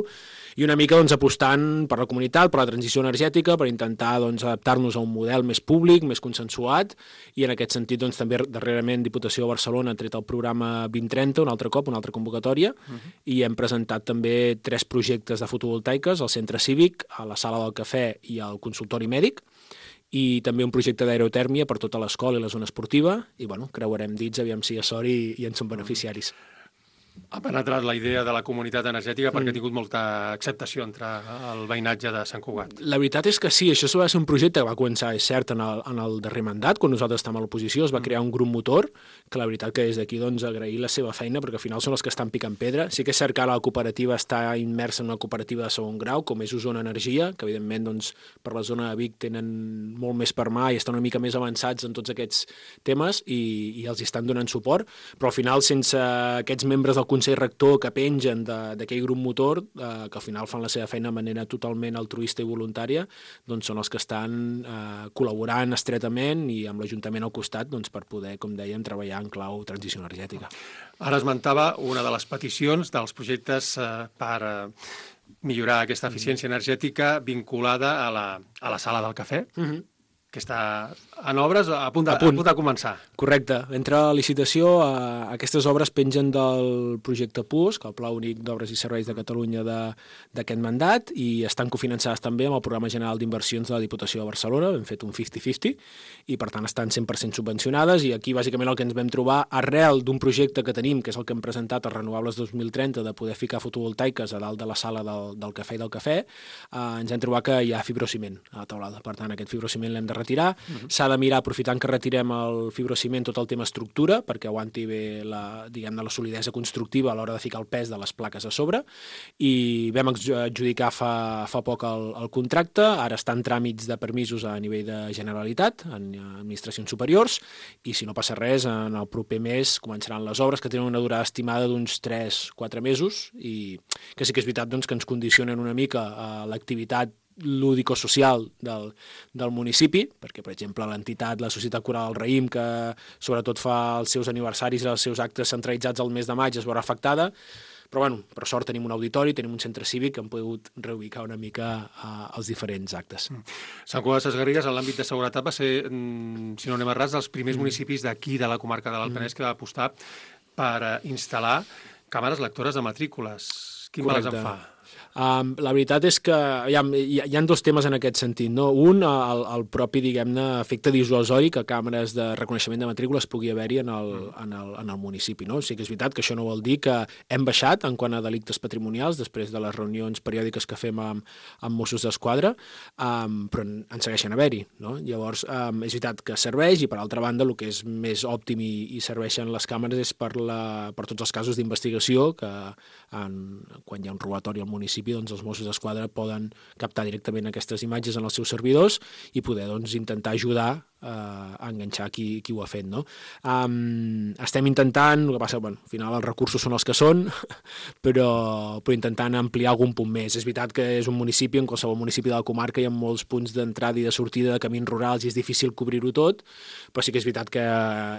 i una mica doncs, apostant per la comunitat, per la transició energètica, per intentar doncs, adaptar-nos a un model més públic, més consensuat i en aquest sentit doncs, també darrerament Diputació de Barcelona ha tret el programa vint trenta un altre cop, una altra convocatòria uh-huh. i hem presentat també tres projectes de fotovoltaiques al centre cívic, a la sala del cafè i al consultori mèdic i també un projecte d'aerotèrmia per tota l'escola i la zona esportiva, i bueno, creuarem dits, aviam si hi ha sort i, i en som beneficiaris. Ha penetrat la idea de la comunitat energètica perquè mm. ha tingut molta acceptació entre el veïnatge de Sant Cugat. La veritat és que sí, això va ser un projecte que va començar, és cert, en el, en el darrer mandat, quan nosaltres estàvem a l'oposició, es va mm. crear un grup motor, que la veritat que des d'aquí doncs, agrair la seva feina, perquè al final són els que estan picant pedra. Sí que és cert que la cooperativa està immersa en una cooperativa de segon grau, com és Osona Energia, que evidentment doncs, per la zona de Vic tenen molt més per mà i estan una mica més avançats en tots aquests temes i, i els estan donant suport, però al final sense aquests membres del Consell Rector que pengen d'aquell grup motor, eh, que al final fan la seva feina de manera totalment altruista i voluntària, doncs són els que estan eh, col·laborant estretament i amb l'Ajuntament al costat doncs, per poder, com dèiem, treballar en clau transició energètica. Ara esmentava una de les peticions dels projectes eh, per eh, millorar aquesta eficiència energètica vinculada a la, a la sala del cafè. Uh-huh. Que està en obres, a punt de, a punt. A punt de començar. Correcte. Entre la licitació, eh, aquestes obres pengen del projecte P U S, que el Pla Únic d'Obres i Serveis de Catalunya d'aquest mandat, i estan cofinançades també amb el Programa General d'Inversions de la Diputació de Barcelona, hem fet un cinquanta cinquanta, i per tant estan cent per cent subvencionades, i aquí bàsicament el que ens vam trobar, arrel d'un projecte que tenim, que és el que hem presentat a Renovables dos mil trenta, de poder ficar fotovoltaiques a dalt de la sala del, del cafè i del cafè, eh, ens hem trobat que hi ha fibrociment a la taulada. Per tant, aquest fibrociment l'hem de retirar. Uh-huh. S'ha de mirar, aprofitant que retirem el fibrociment, tot el tema estructura, perquè aguanti bé la, diguem-ne, la solidesa constructiva a l'hora de ficar el pes de les plaques a sobre, i vam adjudicar fa, fa poc el, el contracte, ara està en tràmits de permisos a nivell de Generalitat, en administracions superiors, i si no passa res, en el proper mes començaran les obres, que tenen una durada estimada d'uns tres a quatre mesos, i que sí que és veritat doncs, que ens condicionen una mica a l'activitat lúdico-social del, del municipi, perquè, per exemple, l'entitat, la Societat Coral del Raïm, que sobretot fa els seus aniversaris i els seus actes centralitzats al mes de maig, es veurà afectada, però, bueno, per sort tenim un auditori, tenim un centre cívic que hem pogut reubicar una mica uh, els diferents actes. Mm. Sant Cugat Sesgarrigues, en l'àmbit de seguretat, va ser, si no anem errats, dels primers mm. municipis d'aquí, de la comarca de l'Alt Penedès, mm. que va apostar per instal·lar càmeres lectores de matrícules. Quin mal en fa? Um, la veritat és que hi ha, hi ha, hi ha dos temes en aquest sentit, no? Un, el, el propi, diguem-ne, efecte dissuasori, que càmeres de reconeixement de matrícules pugui haver-hi en, el, en, el, en el municipi, no? O sigui que és veritat que això no vol dir que hem baixat en quant a delictes patrimonials després de les reunions periòdiques que fem amb, amb Mossos d'Esquadra, um, però en segueixen haver-hi, no? Llavors, um, és veritat que serveix i, per altra banda, el que és més òptim i, i serveixen les càmeres és per, la, per tots els casos d'investigació que en, quan hi ha un robatori al municipi doncs els Mossos d'Esquadra poden captar directament aquestes imatges en els seus servidors i poder doncs, intentar ajudar a enganxar qui, qui ho ha fet, no? Um, estem intentant, el que passa, bueno, al final els recursos són els que són, però, però intentant ampliar algun punt més. És veritat que és un municipi, en qualsevol municipi de la comarca hi ha molts punts d'entrada i de sortida de camins rurals i és difícil cobrir-ho tot, però sí que és veritat que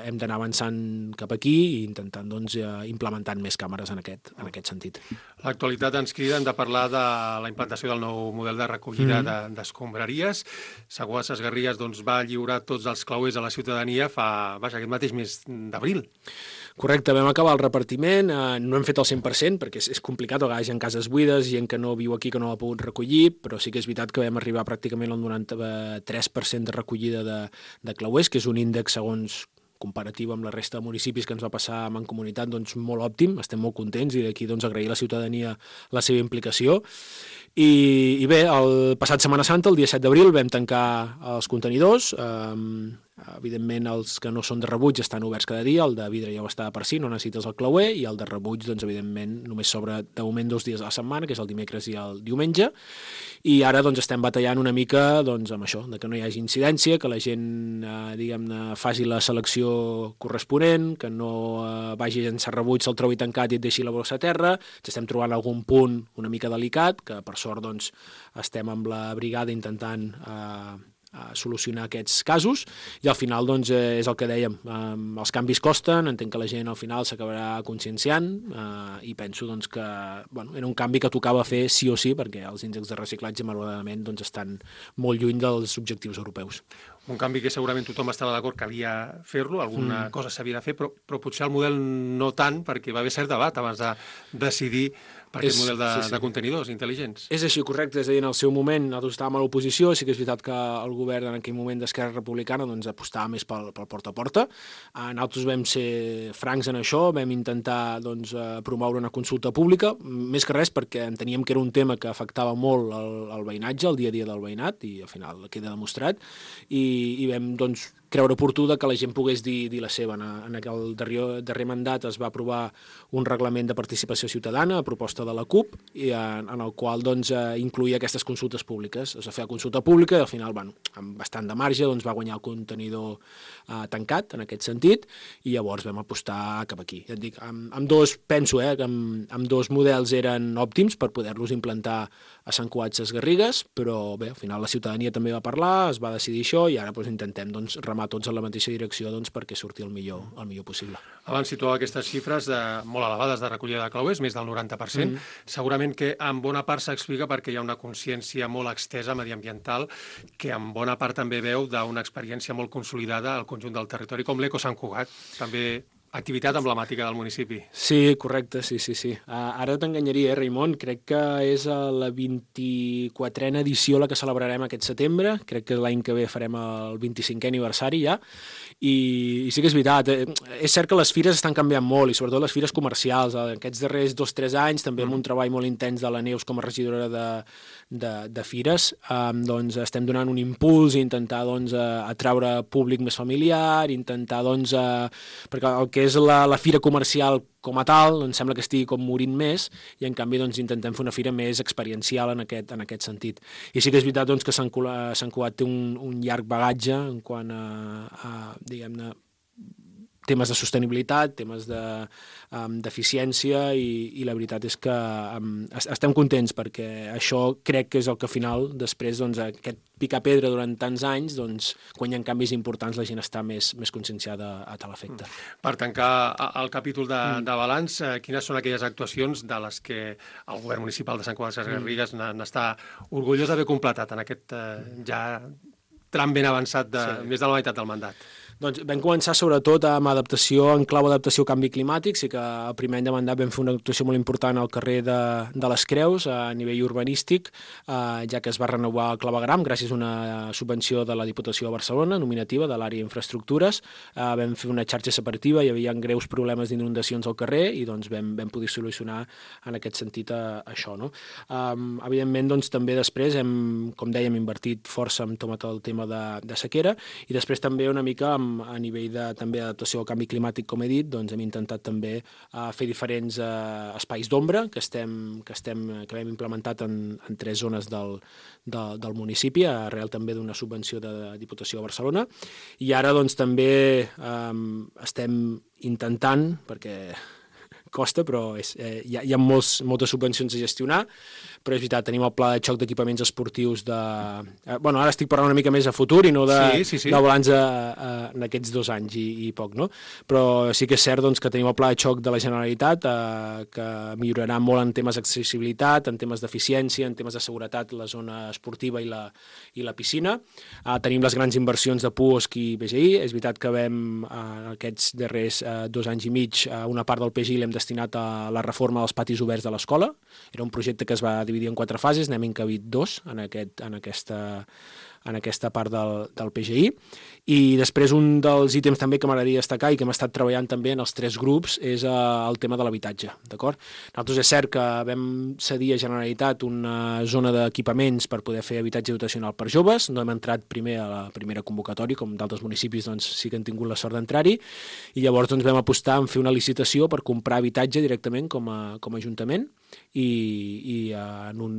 hem d'anar avançant cap aquí i intentant doncs, implementant més càmeres en aquest, en aquest sentit. L'actualitat ens crida de parlar de la implantació del nou model de recollida mm. d'escombraries. Segur a Ses Garrigues doncs, va lliurar tots els clauers a la ciutadania fa, vaja, aquest mateix mes d'abril. Correcte, vam acabar el repartiment, eh, no hem fet el cent per cent perquè és, és complicat, a vegades hi ha cases buides, gent que no viu aquí que no l'ha pogut recollir, però sí que és veritat que vam arribar pràcticament al noranta-tres per cent de recollida de, de clauers, que és un índex segons comparatiu amb la resta de municipis que ens va passar a Mancomunitat, doncs molt òptim, estem molt contents i d'aquí doncs, agrair a la ciutadania la seva implicació. I, i bé, el passat Setmana Santa, el dia set d'abril, vam tancar els contenidors. Um, evidentment, els que no són de rebuig estan oberts cada dia, el de vidre ja ho està per si, no necessites el clauer, i el de rebuig, doncs, evidentment, només s'obre de moment dos dies a la setmana, que és el dimecres i el diumenge, i ara doncs, estem batallant una mica doncs, amb això, de que no hi hagi incidència, que la gent eh, diguem-ne, faci la selecció corresponent, que no eh, vagi a llançar rebuig, se'l trobi tancat i et deixi la bossa a terra. Ens estem trobant algun punt una mica delicat, que per sort doncs, estem amb la brigada intentant eh, a solucionar aquests casos i al final doncs, eh, és el que dèiem, eh, els canvis costen, entenc que la gent al final s'acabarà conscienciant eh, i penso doncs, que bueno, era un canvi que tocava fer sí o sí perquè els índexs de reciclatge malauradament doncs, estan molt lluny dels objectius europeus. Un canvi que segurament tothom estava d'acord que calia fer-lo, alguna mm. cosa s'havia de fer, però, però potser el model no tant, perquè va haver cert debat abans de decidir per aquest és, model de, sí, sí. de contenidors intel·ligents. És així, correcte. És a dir, en el seu moment nosaltres estàvem a l'oposició, sí que és veritat que el govern en aquell moment d'Esquerra Republicana doncs, apostava més pel, pel porta a porta. Nosaltres vam ser francs en això, vam intentar doncs, promoure una consulta pública, més que res perquè enteníem que era un tema que afectava molt el, el veïnatge, el dia a dia del veïnat, i al final queda demostrat, i, i vam doncs, creure oportú que la gent pogués dir, dir la seva. En el darrer, darrer mandat es va aprovar un reglament de participació ciutadana a proposta de la CUP, i en, en el qual doncs, incluïa aquestes consultes públiques. Es va fer la consulta pública i al final, bueno, amb bastant de marge, doncs, va guanyar el contenidor eh, tancat, en aquest sentit, i llavors vam apostar cap aquí. Ja et dic, amb, amb dos, penso eh, que amb, amb dos models eren òptims per poder-los implantar a Sant Cugat Ses Garrigues, però bé, al final la ciutadania també va parlar, es va decidir això i ara doncs, intentem doncs, remar tots en la mateixa direcció doncs, perquè surti el millor, el millor possible. Abans situava aquestes xifres de, molt elevades de recollida de clauers, més del noranta per cent. Mm. Segurament que en bona part s'explica perquè hi ha una consciència molt extesa mediambiental que en bona part també veu d'una experiència molt consolidada al conjunt del territori, com l'Eco Sant Cugat, també activitat emblemàtica del municipi. Sí, correcte, sí, sí, sí. Uh, ara t'enganyaria, eh, Raimon? Crec que és la vint-i-quatrena edició la que celebrarem aquest setembre. Crec que l'any que ve farem el vint-i-cinquè aniversari ja. I, i sí que és veritat. Eh, és cert que les fires estan canviant molt, i sobretot les fires comercials. Eh, aquests darrers dos o tres anys, també amb un treball molt intens de la Neus com a regidora de, de, de fires, eh, doncs estem donant un impuls i intentar doncs, atraure públic més familiar, intentar, doncs, eh, perquè el que és la, la fira comercial com a tal, em sembla que estigui com morint més, i en canvi doncs, intentem fer una fira més experiencial en aquest, en aquest sentit. I sí que és veritat doncs, que Sant Cugat té un, un llarg bagatge en quant a, a diguem-ne, temes de sostenibilitat, temes d'eficiència, de, um, i, i la veritat és que um, estem contents perquè això crec que és el que al final, després, doncs, aquest picar pedra durant tants anys, doncs, quan hi ha canvis importants la gent està més, més conscienciada a tal efecte. Per tancar el capítol de, mm. de balanç, quines són aquelles actuacions de les que el govern municipal de Sant Cugat Ses Garrigues mm. n'està orgullós d'haver completat en aquest eh, ja tram ben avançat de sí. més de la meitat del mandat? Doncs vam començar sobretot amb adaptació, en clau adaptació canvi climàtic. Sí que el primer any de mandat vam fer una actuació molt important al carrer de, de les Creus, a nivell urbanístic, eh, ja que es va renovar el clavegram gràcies a una subvenció de la Diputació de Barcelona, nominativa de l'àrea d'infraestructures. Eh, vam fer una xarxa separativa, hi havia greus problemes d'inundacions al carrer i doncs vam, vam poder solucionar en aquest sentit a, a això. No? Um, evidentment, doncs, també després hem, com dèiem, invertit força en tot el tema de, de sequera i després també una mica amb a nivell de també adaptació al canvi climàtic, com he dit, doncs hem intentat també uh, fer diferents uh, espais d'ombra que estem que estem que hem implementat en, en tres zones del, de, del municipi, arrel també d'una subvenció de la Diputació de Barcelona. I ara doncs també um, estem intentant, perquè costa, però és, eh, hi ha, hi ha molts, moltes subvencions a gestionar, però és veritat, tenim el pla de xoc d'equipaments esportius de... Eh, bueno, ara estic parlant una mica més a futur i no de, sí, sí, sí. de balanç a, a, en aquests dos anys i, i poc, no? Però sí que és cert doncs, que tenim el pla de xoc de la Generalitat eh, que millorarà molt en temes d'accessibilitat, en temes d'eficiència, en temes de seguretat, la zona esportiva i la, i la piscina. Eh, tenim les grans inversions de Puosc i P G I. És veritat que vam, eh, aquests darrers eh, dos anys i mig, eh, una part del P G I l'hem destinat a la reforma dels patis oberts de l'escola. Era un projecte que es va dividir en quatre fases, n'hem encabit dos en, aquest, en, aquesta, en aquesta part del, del P G I. I després un dels ítems també que m'agradaria destacar i que hem estat treballant també en els tres grups és uh, el tema de l'habitatge, d'acord? Nosaltres és cert que vam cedir a Generalitat una zona d'equipaments per poder fer habitatge dotacional per joves, no hem entrat primer a la primera convocatòria, com d'altres municipis doncs, sí que han tingut la sort d'entrar-hi, i llavors doncs, vam apostar en fer una licitació per comprar habitatge directament com a, com a Ajuntament i, i uh, en un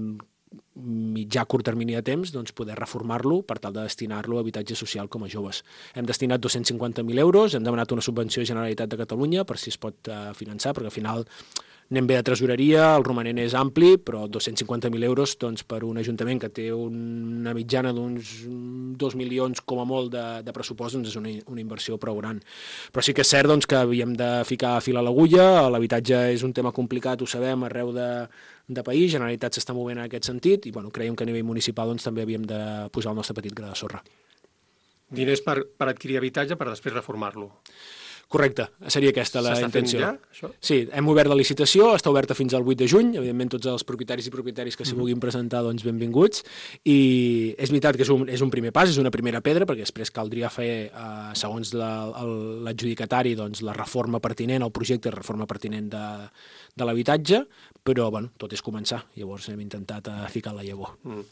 mitjà curt termini de temps doncs, poder reformar-lo per tal de destinar-lo a habitatge social com a joves. Hem destinat dos-cents cinquanta mil euros, hem demanat una subvenció de Generalitat de Catalunya per si es pot uh, finançar, perquè al final anem bé de tresoreria, el romanent és ampli, però dos-cents cinquanta mil euros doncs, per un ajuntament que té una mitjana d'uns dos milions com a molt de, de pressupost doncs és una, una inversió prou gran. Però sí que és cert doncs, que havíem de ficar fil a l'agulla, l'habitatge és un tema complicat, ho sabem, arreu de, de país, Generalitat s'està movent en aquest sentit i bueno, creiem que a nivell municipal doncs, també havíem de posar el nostre petit gra de sorra. Diners per, per adquirir habitatge per després reformar-lo. Correcte, seria aquesta la intenció. S'està fent ja, això? Sí, hem obert la licitació, està oberta fins al vuit de juny, evidentment tots els propietaris i propietaris que s'hi vulguin presentar, doncs benvinguts, i és veritat que és un, és un primer pas, és una primera pedra, perquè després caldria fer, eh, segons l'adjudicatari, doncs, la reforma pertinent, el projecte de reforma pertinent de, de l'habitatge, però bueno, tot és començar, llavors hem intentat uh, ficar la llavor. Mm.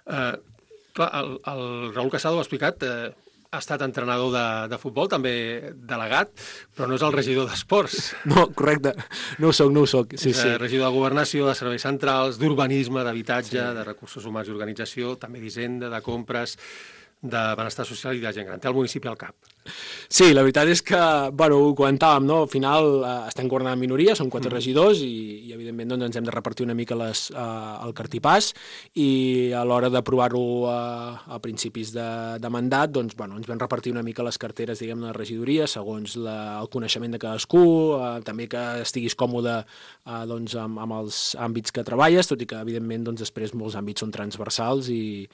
Uh, clar, el, el Raül Casado ha explicat... Uh, ha estat entrenador de, de futbol, també delegat, però no és el regidor d'esports. No, correcte, no ho soc, no ho soc. Sí, és sí. regidor de governació, de serveis centrals, d'urbanisme, d'habitatge, sí. de recursos humans i organització, també d'hisenda, de compres, de benestar social i de gent gran. Té el municipi al cap. Sí, la veritat és que, bueno, ho comentàvem, no? Al final eh, estem governant en minoria, som quatre mm. regidors i, i evidentment doncs, ens hem de repartir una mica les, eh, el cartipàs i a l'hora d'aprovar-ho eh, a principis de, de mandat, doncs, bueno, ens vam repartir una mica les carteres, diguem, de regidoria, segons la, el coneixement de cadascú, eh, també que estiguis còmode eh, doncs, amb, amb els àmbits que treballes, tot i que, evidentment, doncs, després molts àmbits són transversals i,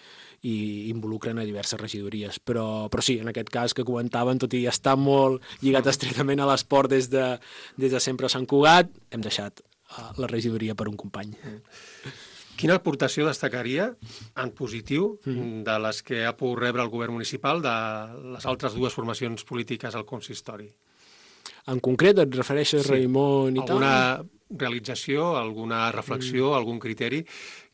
i involucren a diverses regidories. Però, però sí, en aquest cas que comentàvem, tot i estar molt lligat estretament a l'esport des de, des de sempre a Sant Cugat, hem deixat uh, la regidoria per un company. Quina aportació destacaria en positiu Mm. de les que ha pogut rebre el govern municipal de les altres dues formacions polítiques al consistori? En concret, et refereixes, sí. Raimon, i alguna tal? realització, alguna reflexió, Mm. algun criteri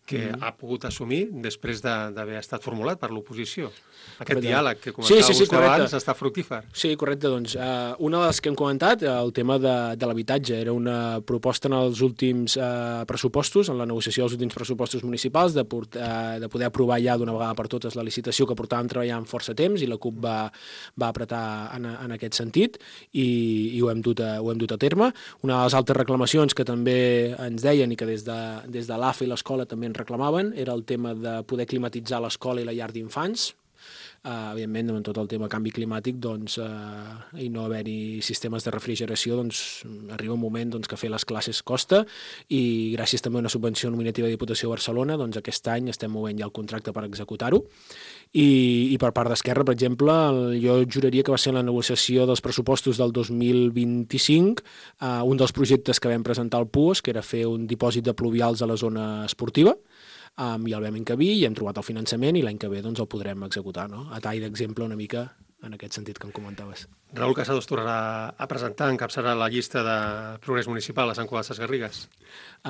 que Mm. ha pogut assumir després de- d'haver estat formulat per l'oposició? Aquest Correcte. diàleg que comentava Sí, sí, sí, vostè correcte. abans està fructífer. Sí, correcte. Doncs, uh, una de les que hem comentat, el tema de, de l'habitatge, era una proposta en els últims uh, pressupostos, en la negociació dels últims pressupostos municipals, de, port, uh, de poder aprovar ja d'una vegada per totes la licitació que portàvem treballant força temps i la CUP va, va apretar en, en aquest sentit i, i ho, hem dut a, ho hem dut a terme. Una de les altres reclamacions que també ens deien i que des de, des de l'A F A i l'escola també ens reclamaven era el tema de poder climatitzar l'escola i la llar d'infants. Uh, evidentment, amb tot el tema canvi climàtic, doncs, uh, i no haver-hi sistemes de refrigeració, doncs, arriba un moment doncs, que fer les classes costa, i gràcies també a una subvenció nominativa de Diputació de Barcelona, doncs aquest any estem movent ja el contracte per executar-ho. I, i per part d'Esquerra, per exemple, jo juraria que va ser la negociació dels pressupostos del dos mil vint-i-cinc, uh, un dels projectes que vam presentar al Puos, que era fer un dipòsit de pluvials a la zona esportiva, Um, i el vam encabir i hem trobat el finançament i l'any que ve doncs, el podrem executar, no? A tall d'exemple una mica en aquest sentit que em comentaves. Raül Casado es tornarà a presentar, encapçalarà la llista de progrés municipal a Sant Cugat Sesgarrigues?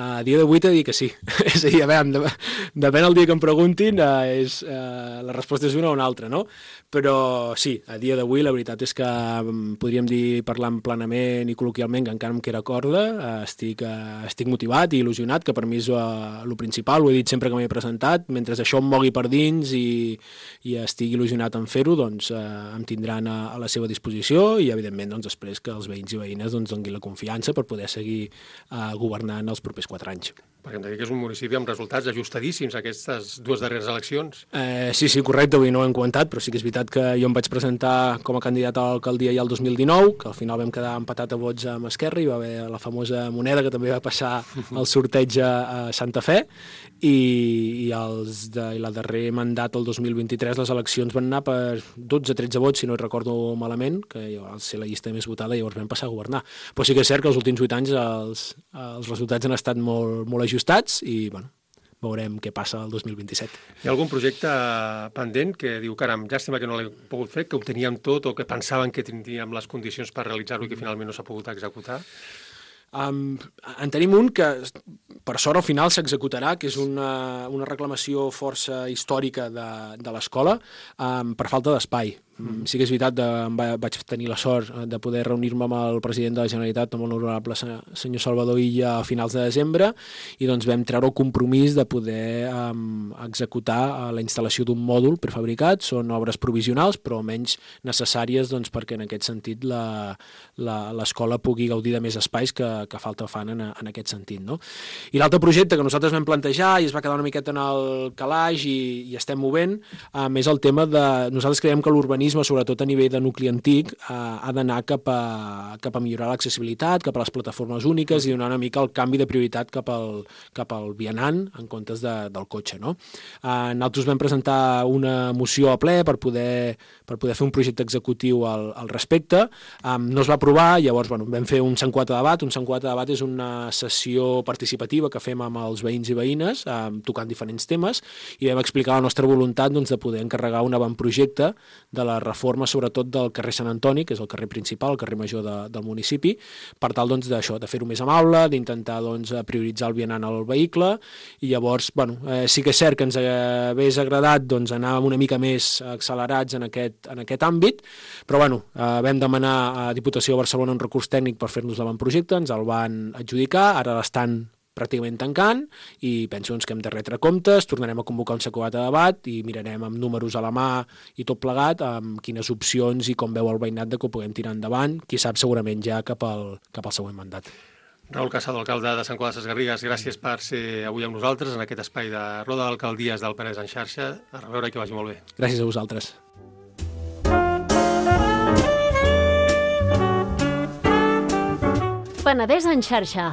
A dia d'avui t'he dit que sí. És a dir, a veure, depèn el dia que em preguntin, uh, és, uh, la resposta és una o una altra, no? Però sí, a dia d'avui la veritat és que um, podríem dir, parlant plenament i col·loquialment, que encara em queda corda, uh, estic, uh, estic motivat i il·lusionat, que per mi és uh, el principal, ho he dit sempre que m'he presentat, mentre això em mogui per dins i, i estic il·lusionat en fer-ho, doncs uh, em tindran a, a la seva disposició i, evidentment, doncs, després que els veïns i veïnes doncs, donguin la confiança per poder seguir uh, governant els propers quatre anys. Perquè em deia que és un municipi amb resultats ajustadíssims aquestes dues darreres eleccions. Eh, sí, sí, correcte, avui no ho hem comentat, però sí que és veritat que jo em vaig presentar com a candidat a l'alcaldia ja el dos mil dinou, que al final vam quedar empatat a vots amb Esquerra, i va haver la famosa moneda que també va passar el sorteig a Santa Fe, i, i, els de, i la darrer mandat, el dos mil vint-i-tres, les eleccions van anar per dotze tretze vots, si no recordo malament, que va ser la llista més votada i llavors vam passar a governar. Però sí que és cert que els últims vuit anys els, els resultats han estat molt, molt ajustats i, bueno, veurem què passa el dos mil vint-i-set. Hi ha algun projecte pendent que diu, caram, llàstima que no l'he pogut fer, que ho teníem tot o que pensaven que tindríem les condicions per realitzar-ho i que finalment no s'ha pogut executar? Um, en tenim un que, per sort, al final s'executarà, que és una, una reclamació força històrica de, de l'escola um, per falta d'espai. Mm. Sí que és veritat, de, vaig tenir la sort de poder reunir-me amb el president de la Generalitat, amb el honorable senyor Salvador Illa, a finals de desembre, i doncs vam treure el compromís de poder um, executar la instal·lació d'un mòdul prefabricat. Són obres provisionals, però menys necessàries doncs, perquè en aquest sentit l'escola pugui gaudir de més espais que, que falta fan en, en aquest sentit. No? I l'altre projecte que nosaltres vam plantejar i es va quedar una miqueta en el calaix i, i estem movent, um, és el tema de... Nosaltres creiem que l'urbanisme, sobretot a nivell de nucli antic, eh, ha d'anar cap, a, cap a millorar l'accessibilitat, cap a les plataformes úniques i donar una mica el canvi de prioritat cap al, cap al vianant en comptes de, del cotxe. No? Eh, nosaltres vam presentar una moció a ple per poder, per poder fer un projecte executiu al, al respecte. Eh, no es va aprovar, llavors bueno, vam fer un Sant Cugat debat. Un Sant Cugat debat és una sessió participativa que fem amb els veïns i veïnes, eh, tocant diferents temes, i vam explicar la nostra voluntat doncs, de poder encarregar un avantprojecte de la reforma sobretot del carrer Sant Antoni, que és el carrer principal, el carrer major de, del municipi, per tal doncs, d'això, de fer-ho més amable, d'intentar doncs, prioritzar el vianant al vehicle, i llavors, bueno, eh, sí que és cert que ens hagués agradat doncs, anar una mica més accelerats en aquest, en aquest àmbit, però bueno, eh, vam demanar a Diputació de Barcelona un recurs tècnic per fer-nos l'avantprojecte, ens el van adjudicar, ara l'estan pràcticament tancant, i penso doncs, que hem de retre comptes, tornarem a convocar un Sant Cugat de debat i mirarem amb números a la mà i tot plegat amb quines opcions i com veu el veïnat de que ho puguem tirar endavant, qui sap segurament ja cap al, cap al següent mandat. Raül Casado, alcalde de Sant Cugat Sesgarrigues, gràcies per ser avui amb nosaltres en aquest espai de Roda d'Alcaldies del Penedès en xarxa. A reveure i que vagi molt bé. Gràcies a vosaltres. Penedès en xarxa,